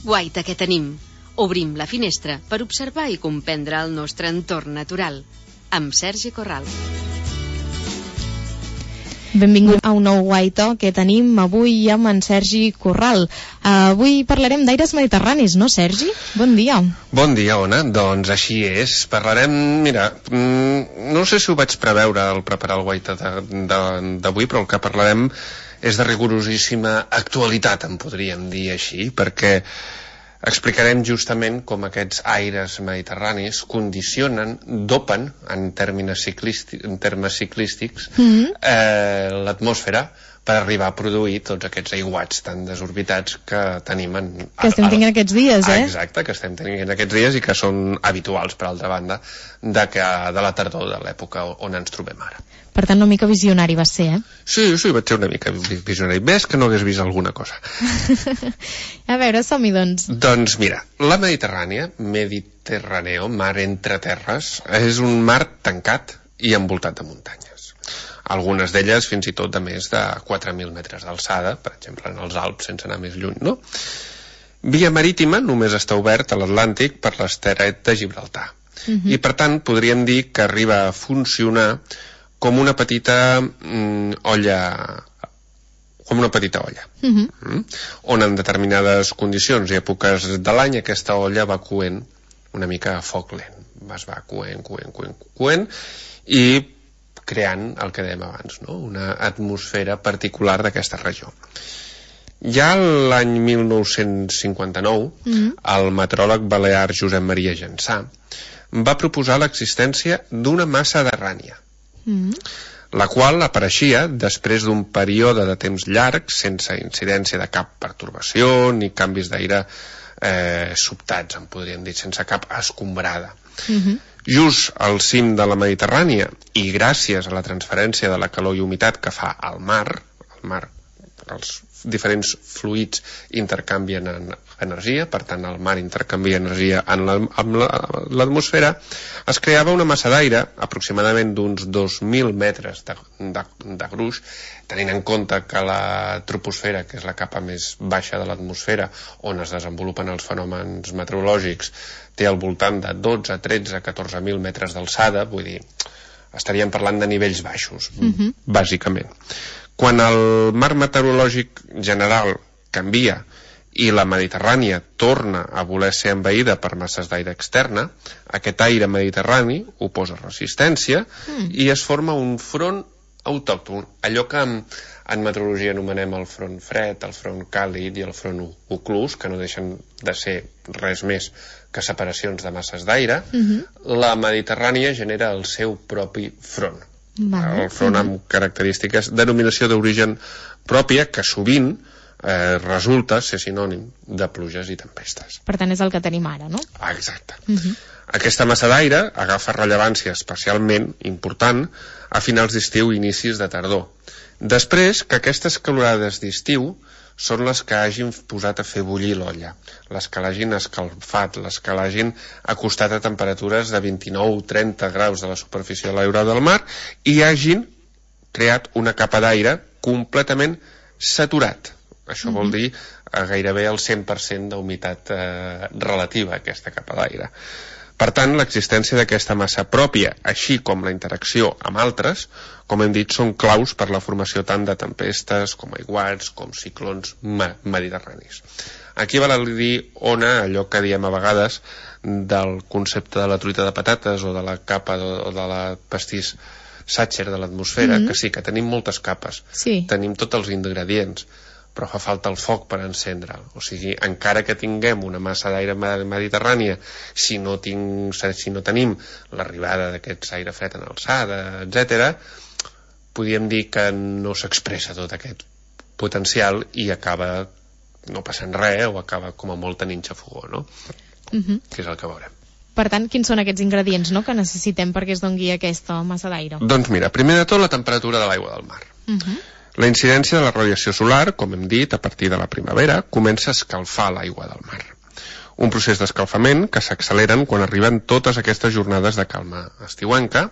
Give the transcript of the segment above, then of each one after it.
Guaita que tenim. Obrim la finestra per observar i comprendre el nostre entorn natural. Amb Sergi Corral. Benvingut a un nou Guaita que tenim avui amb en Sergi Corral. Avui parlarem d'aires mediterranis, no, Sergi? Bon dia. Bon dia, Ona. Doncs així és. Parlarem, mira, no sé si ho vaig preveure al preparar el Guaita d'avui, però el que parlarem és de rigorosíssima actualitat, en podríem dir així, perquè explicarem justament com aquests aires mediterranis condicionen, dopen, en termes ciclístics, l'atmosfera per arribar a produir tots aquests aiguats tan desorbitats que tenim que estem tenint aquests dies, Exacte, que estem tenint aquests dies i que són habituals, per altra banda, de la tardor, de l'època on ens trobem ara. Per tant, una mica visionari va ser, Sí, vaig ser una mica visionari. Ves que no hagués vist alguna cosa. A veure, som-hi, doncs. Doncs mira, la Mediterrània, Mediterráneo, mar entre terres, és un mar tancat i envoltat de muntanyes. Algunes d'elles fins i tot de més de 4.000 metres d'alçada, per exemple en els Alps, sense anar més lluny, no? Via marítima només està obert a l'Atlàntic per l'estret de Gibraltar. I per tant podríem dir que arriba a funcionar com una petita olla, on en determinades condicions i èpoques de l'any aquesta olla va coent una mica a foc lent. Es va coent i creant el que dèiem abans, no? Una atmosfera particular d'aquesta regió. Ja l'any 1959, el meteoròleg balear Josep Maria Jansà va proposar l'existència d'una massa mediterrània, la qual apareixia després d'un període de temps llarg sense incidència de cap pertorbació ni canvis d'aire sobtats, en podríem dir, sense cap escombrada. Just al cim de la Mediterrània i gràcies a la transferència de la calor i humitat que fa al mar, els diferents fluids intercanvien energia, per tant el mar intercanvia energia amb l'atmosfera, es creava una massa d'aire aproximadament d'uns 2.000 metres de gruix, tenint en compte que la troposfera, que és la capa més baixa de l'atmosfera on es desenvolupen els fenòmens meteorològics, té al voltant de 12, 13, 14.000 metres d'alçada, vull dir, estaríem parlant de nivells baixos, bàsicament. Quan el mar meteorològic general canvia i la Mediterrània torna a voler ser envaïda per masses d'aire externa, aquest aire mediterrani oposa resistència i es forma un front autòcton, allò que en meteorologia anomenem el front fred, el front càlid i el front oclús, que no deixen de ser res més que separacions de masses d'aire. La Mediterrània genera el seu propi front. El front amb característiques, denominació d'origen pròpia, que sovint resulta ser sinònim de pluges i tempestes. Per tant, és el que tenim ara, no? Exacte. Aquesta massa d'aire agafa rellevància especialment important a finals d'estiu i inicis de tardor. Després que aquestes calorades d'estiu són les que hagin posat a fer bullir l'olla, les que l'hagin escalfat, les que l'hagin acostat a temperatures de 29 o 30 graus de la superfície de l'aire del mar i hagin creat una capa d'aire completament saturat. Això vol dir gairebé el 100% d'humitat relativa a aquesta capa d'aire. Per tant, l'existència d'aquesta massa pròpia, així com la interacció amb altres, com hem dit, són claus per la formació tant de tempestes, com aiguats, com ciclons mediterranis. Aquí val a dir, Ona, allò que diem a vegades del concepte de la truita de patates o de la capa o de la pastís Sacher de l'atmosfera, que sí, que tenim moltes capes, tenim tots els ingredients, però fa falta el foc per encendre'l. O sigui, encara que tinguem una massa d'aire mediterrània, si no tenim l'arribada d'aquest aire fred en alçada, etc., podríem dir que no s'expressa tot aquest potencial i acaba no passant res o acaba com a molt tenint xafogó, no? Que és el que veurem. Per tant, quins són aquests ingredients, no?, que necessitem perquè es doni aquesta massa d'aire? Doncs mira, primer de tot la temperatura de l'aigua del mar. La incidència de la radiació solar, com hem dit, a partir de la primavera, comença a escalfar l'aigua del mar. un procés d'escalfament que s'acceleren quan arriben totes aquestes jornades de calma estiuenca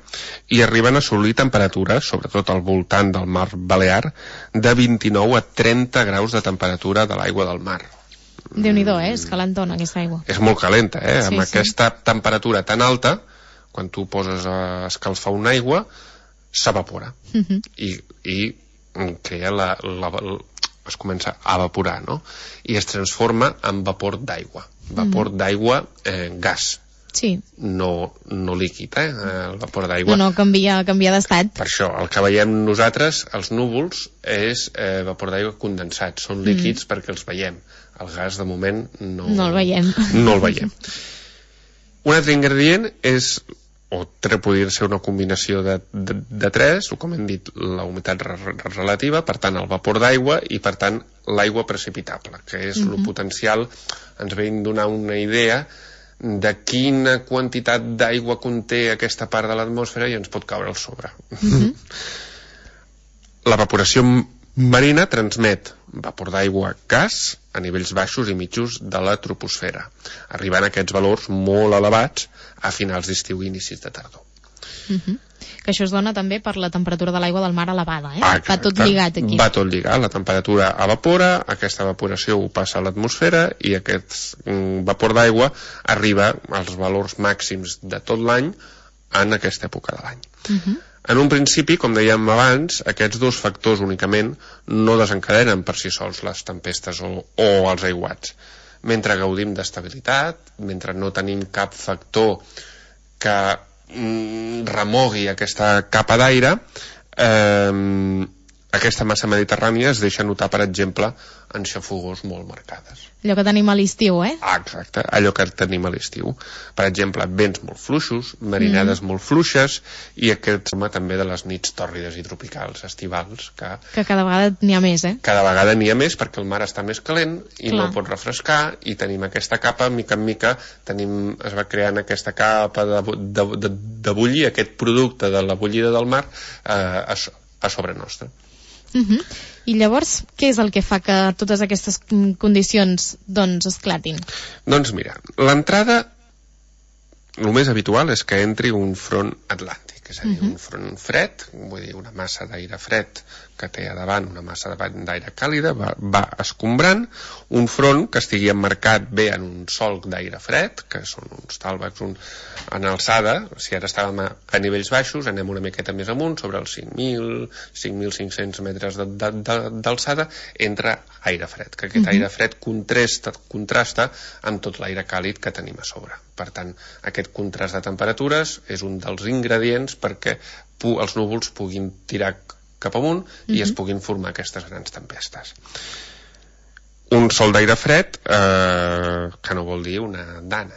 i arriben a assolir temperatures, sobretot al voltant del mar Balear, de 29 a 30 graus de temperatura de l'aigua del mar. Déu-n'hi-do, és calentona aquesta aigua. És molt calenta, Sí, amb sí. aquesta temperatura tan alta, quan tu poses a escalfar una aigua, s'evapora. I crea es comença a evaporar, no? I es transforma en vapor d'aigua. Vapor d'aigua, gas, Sí. no líquid, el vapor d'aigua. No, canvia d'estat. Per això, el que veiem nosaltres, els núvols, és vapor d'aigua condensat. Són líquids perquè els veiem. El gas, de moment, no el veiem. No el veiem. Un altre ingredient és, o podria ser una combinació de tres, o com hem dit, la humitat relativa, per tant, el vapor d'aigua i, per tant, l'aigua precipitable, que és lo potencial, ens ve donar una idea de quina quantitat d'aigua conté aquesta part de l'atmosfera i ens pot caure al sobre. L'evaporació marina transmet vapor d'aigua gas a nivells baixos i mitjos de la troposfera, arribant a aquests valors molt elevats a finals d'estiu i inicis de tardor. Que això es dona també per la temperatura de l'aigua del mar elevada, Exacte. Va tot lligat aquí. Va tot lligat, la temperatura evapora, aquesta evaporació ho passa a l'atmosfera i aquest vapor d'aigua arriba als valors màxims de tot l'any en aquesta època de l'any. En un principi, com dèiem abans, aquests dos factors únicament no desencadenen per si sols les tempestes o els aiguats. Mentre gaudim d'estabilitat, mentre no tenim cap factor que remogui aquesta capa d'aire, aquesta massa mediterrània es deixa notar, per exemple, en xafogors molt marcades. Allò que tenim a l'estiu, Exacte, allò que tenim a l'estiu. Per exemple, vents molt fluixos, marinades molt fluixes i aquest tema també de les nits tòrrides i tropicals, estivals, que cada vegada n'hi ha més, Cada vegada n'hi ha més perquè el mar està més calent i Clar. no pot refrescar i tenim aquesta capa, mica en mica es va creant aquesta capa de bullir, aquest producte de la bullida del mar a sobre nostre. I llavors, què és el que fa que totes aquestes condicions esclatin? Doncs mira, l'entrada, el més habitual és que entri un front atlàntic, és a dir, un front fred, vull dir, una massa d'aire fred que té a davant una massa d'aire càlida, va escombrant, un front que estigui emmarcat bé en un solc d'aire fred, que són uns tàlvegs en alçada. Si ara estàvem a nivells baixos, anem una miqueta més amunt, sobre els 5.500 metres d'alçada, entra aire fred, que aquest aire fred contrasta amb tot l'aire càlid que tenim a sobre. Per tant, aquest contrast de temperatures és un dels ingredients perquè els núvols puguin tirar cap amunt i es puguin formar aquestes grans tempestes. Un sol d'aire fred, que no vol dir una dana,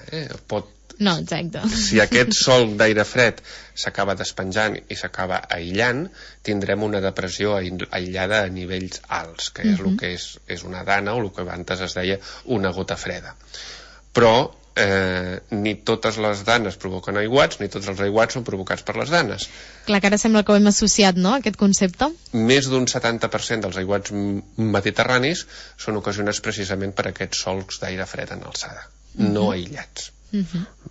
No, exacte. Si aquest sol d'aire fred s'acaba despenjant i s'acaba aïllant, tindrem una depressió aïllada a nivells alts, que és el que és una dana o el que abans es deia una gota freda. Però ni totes les danes provoquen aiguats, ni tots els aiguats són provocats per les danes. Clar, que ara sembla que ho hem associat, no?, aquest concepte. Més d'un 70% dels aiguats mediterranis són ocasionats precisament per aquests solcs d'aire fred en alçada, no aïllats.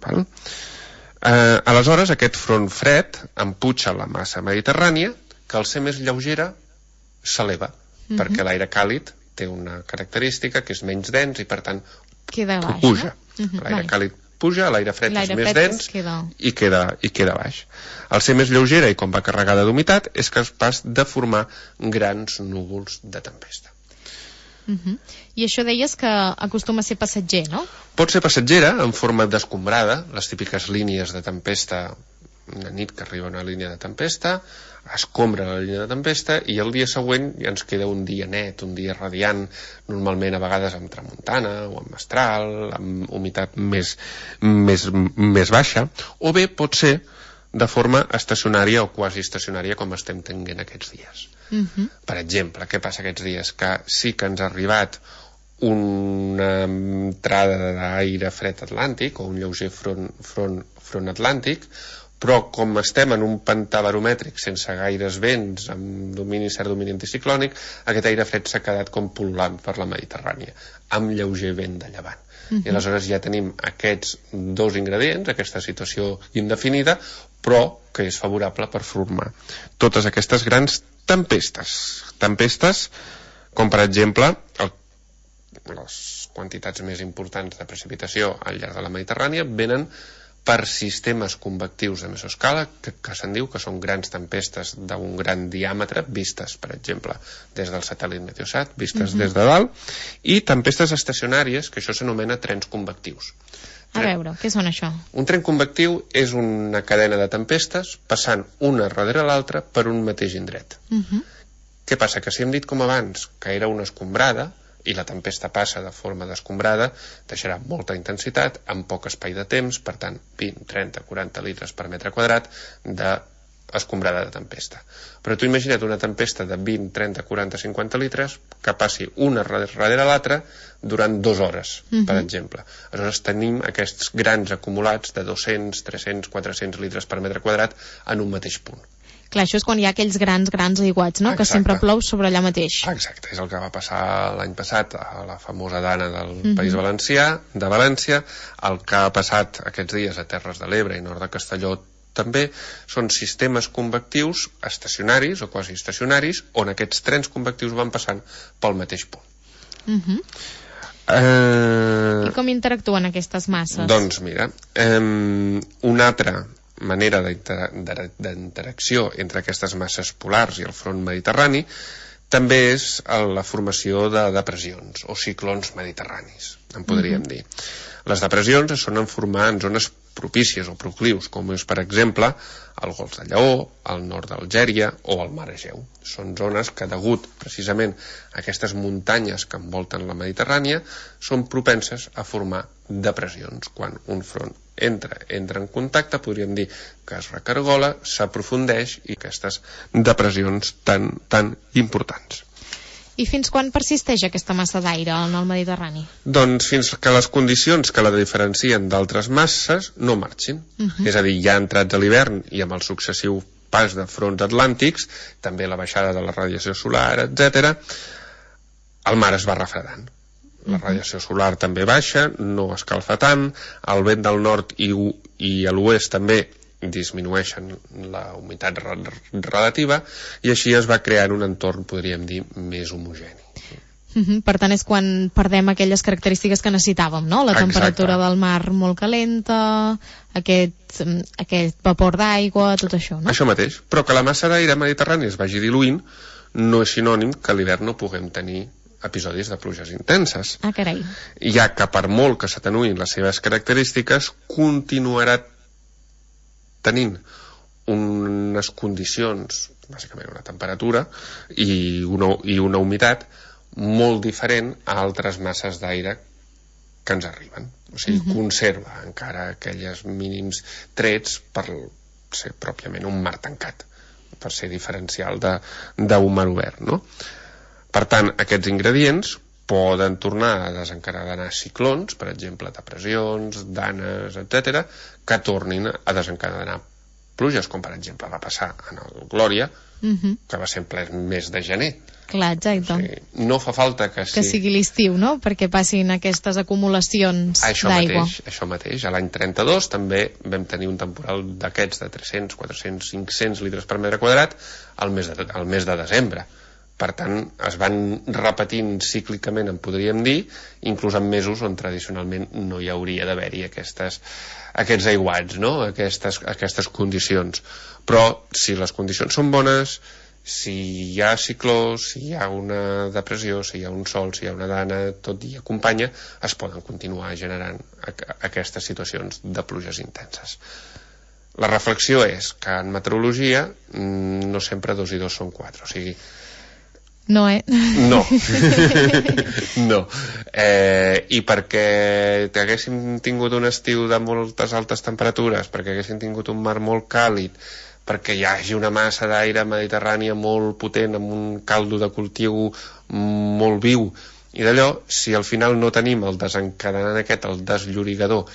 Val? Aleshores, aquest front fred emputxa la massa mediterrània, que al ser més lleugera s'eleva, perquè l'aire càlid té una característica que és menys dens i per tant queda baix, puja. No? L'aire càlid puja, l'aire fred és més dens i queda baix. Al ser més lleugera i com va carregada d'humitat és capaç de formar grans núvols de tempesta. I això deies que acostuma a ser passatger, no? Pot ser passatgera en forma d'escombrada, les típiques línies de tempesta, una nit que arriba una línia de tempesta, escombra la línia de tempesta i el dia següent ja ens queda un dia net, un dia radiant, normalment a vegades amb tramuntana o amb mestral, amb humitat més baixa, o bé pot ser de forma estacionària o quasi estacionària com estem tenint aquests dies. Per exemple, què passa aquests dies? Que sí que ens ha arribat una entrada d'aire fred atlàntic o un lleuger front atlàntic, però com estem en un pantà baromètric sense gaires vents, amb cert domini anticiclònic, aquest aire fred s'ha quedat com pul·lulant per la Mediterrània, amb lleuger vent de llevant. I aleshores ja tenim aquests dos ingredients, aquesta situació indefinida, però que és favorable per formar totes aquestes grans tempestes. Tempestes, com per exemple les quantitats més importants de precipitació al llarg de la Mediterrània venen per sistemes convectius de mesoscala, que se'n diu que són grans tempestes d'un gran diàmetre, vistes, per exemple, des del satèl·lit Meteosat, vistes des de dalt, i tempestes estacionàries, que això s'anomena trens convectius. A veure, què són això? Un tren convectiu és una cadena de tempestes passant una darrere l'altra per un mateix indret. Què passa? Que si hem dit com abans que era una escombrada, i la tempesta passa de forma d'escombrada, deixarà molta intensitat en poc espai de temps, per tant 20, 30, 40 litres per metre quadrat d'escombrada de tempesta. Però tu imagina't una tempesta de 20, 30, 40, 50 litres que passi una darrere l'altra durant 2 hores, per exemple. Aleshores tenim aquests grans acumulats de 200, 300, 400 litres per metre quadrat en un mateix punt. Clar, això és quan hi ha aquells grans aiguats, no? Exacte. Que sempre plou sobre allà mateix. Exacte, és el que va passar l'any passat a la famosa Dana del País Valencià, de València, el que ha passat aquests dies a Terres de l'Ebre i nord de Castelló també, són sistemes convectius estacionaris o quasi estacionaris, on aquests trens convectius van passant pel mateix punt. I com interactuen aquestes masses? Doncs mira, una altra manera d'interacció entre aquestes masses polars i el front mediterrani també és la formació de depressions o ciclons mediterranis, en podríem dir. Les depressions es solen formar en zones propícies o proclius, com és, per exemple, el Golf de Lleó, el nord d'Algèria o el Mar Egeu. Són zones que, degut precisament a aquestes muntanyes que envolten la Mediterrània, són propenses a formar depressions. Quan un front entra en contacte, podríem dir que es recargola, s'aprofundeix i aquestes depressions tan importants. I fins quan persisteix aquesta massa d'aire en el Mediterrani? Doncs fins que les condicions que la diferencien d'altres masses no marxin. És a dir, ja entrats a l'hivern i amb el successiu pas de fronts atlàntics, també la baixada de la radiació solar, etc., el mar es va refredant. La radiació solar també baixa, no escalfa tant, el vent del nord i a l'oest també disminueixen la humitat relativa i així es va crear un entorn, podríem dir, més homogeni. Per tant, és quan perdem aquelles característiques que necessitàvem, no? La temperatura del mar molt calenta, aquest vapor d'aigua, tot això, no? Això mateix, però que la massa d'aire mediterrani es vagi diluint no és sinònim que a l'hivern no puguem tenir episodis de pluges intenses. Ah, carai. Ja que per molt que s'atenuïn les seves característiques, continuarà tenint unes condicions, bàsicament una temperatura i una humitat molt diferent a altres masses d'aire que ens arriben. O sigui, conserva encara aquells mínims trets per ser pròpiament un mar tancat, per ser diferencial d'un mar obert, no? Per tant, aquests ingredients poden tornar a desencadenar ciclons, per exemple, depressions, danes, etc., que tornin a desencadenar pluges, com per exemple va passar en el Glòria, que va ser en ple mes de gener. Clar, exacte. O sigui, no fa falta que sigui l'estiu, no?, perquè passin aquestes acumulacions d'aigua. Això mateix. A l'any 32 també vam tenir un temporal d'aquests de 300, 400, 500 litres per metre quadrat al mes de desembre. Per tant, es van repetint cíclicament, en podríem dir, inclús en mesos on tradicionalment no hi hauria d'haver-hi aquests aiguats, no? Aquestes condicions. Però si les condicions són bones, si hi ha cicló, si hi ha una depressió, si hi ha un sol, si hi ha una dana, tot i acompanya, es poden continuar generant aquestes situacions de pluges intenses. La reflexió és que en meteorologia no sempre 2 i 2 són 4, o sigui, no, No. No. I perquè haguéssim tingut un estiu de moltes altes temperatures, perquè haguéssim tingut un mar molt càlid, perquè hi hagi una massa d'aire mediterrània molt potent, amb un caldo de cultiu molt viu, I d'allò, si al final no tenim el desencadenant aquest, el desllorigador,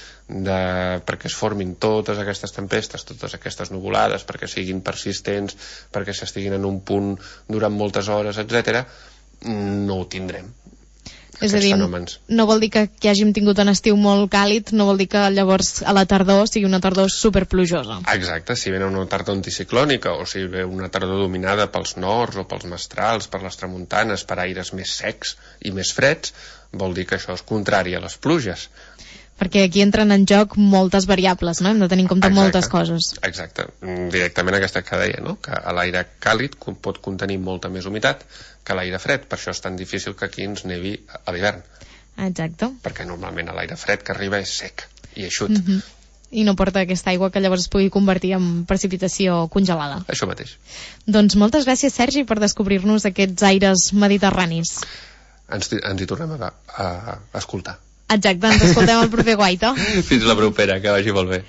perquè es formin totes aquestes tempestes, totes aquestes nuvolades, perquè siguin persistents, perquè s'estiguin en un punt durant moltes hores, etc., no ho tindrem. És a dir, no vol dir que hàgim tingut un estiu molt càlid, no vol dir que llavors a la tardor sigui una tardor superplujosa. Exacte, si ve una tardor anticiclònica o si ve una tardor dominada pels nords o pels mestrals, per les tramuntanes, per aires més secs i més freds, vol dir que això és contrari a les pluges. Perquè aquí entren en joc moltes variables, no? Hem de tenir en compte moltes coses. Exacte, directament aquesta que deia, no? Que l'aire càlid pot contenir molta més humitat que l'aire fred, per això és tan difícil que aquí ens nevi a l'hivern. Exacte. Perquè normalment l'aire fred que arriba és sec i eixut. I no porta aquesta aigua que llavors es pugui convertir en precipitació congelada. Això mateix. Doncs moltes gràcies, Sergi, per descobrir-nos aquests aires mediterranis. Ens hi tornem a escoltar. Exacte, ens escoltem el proper Guaita. Fins la propera, que vagi molt bé.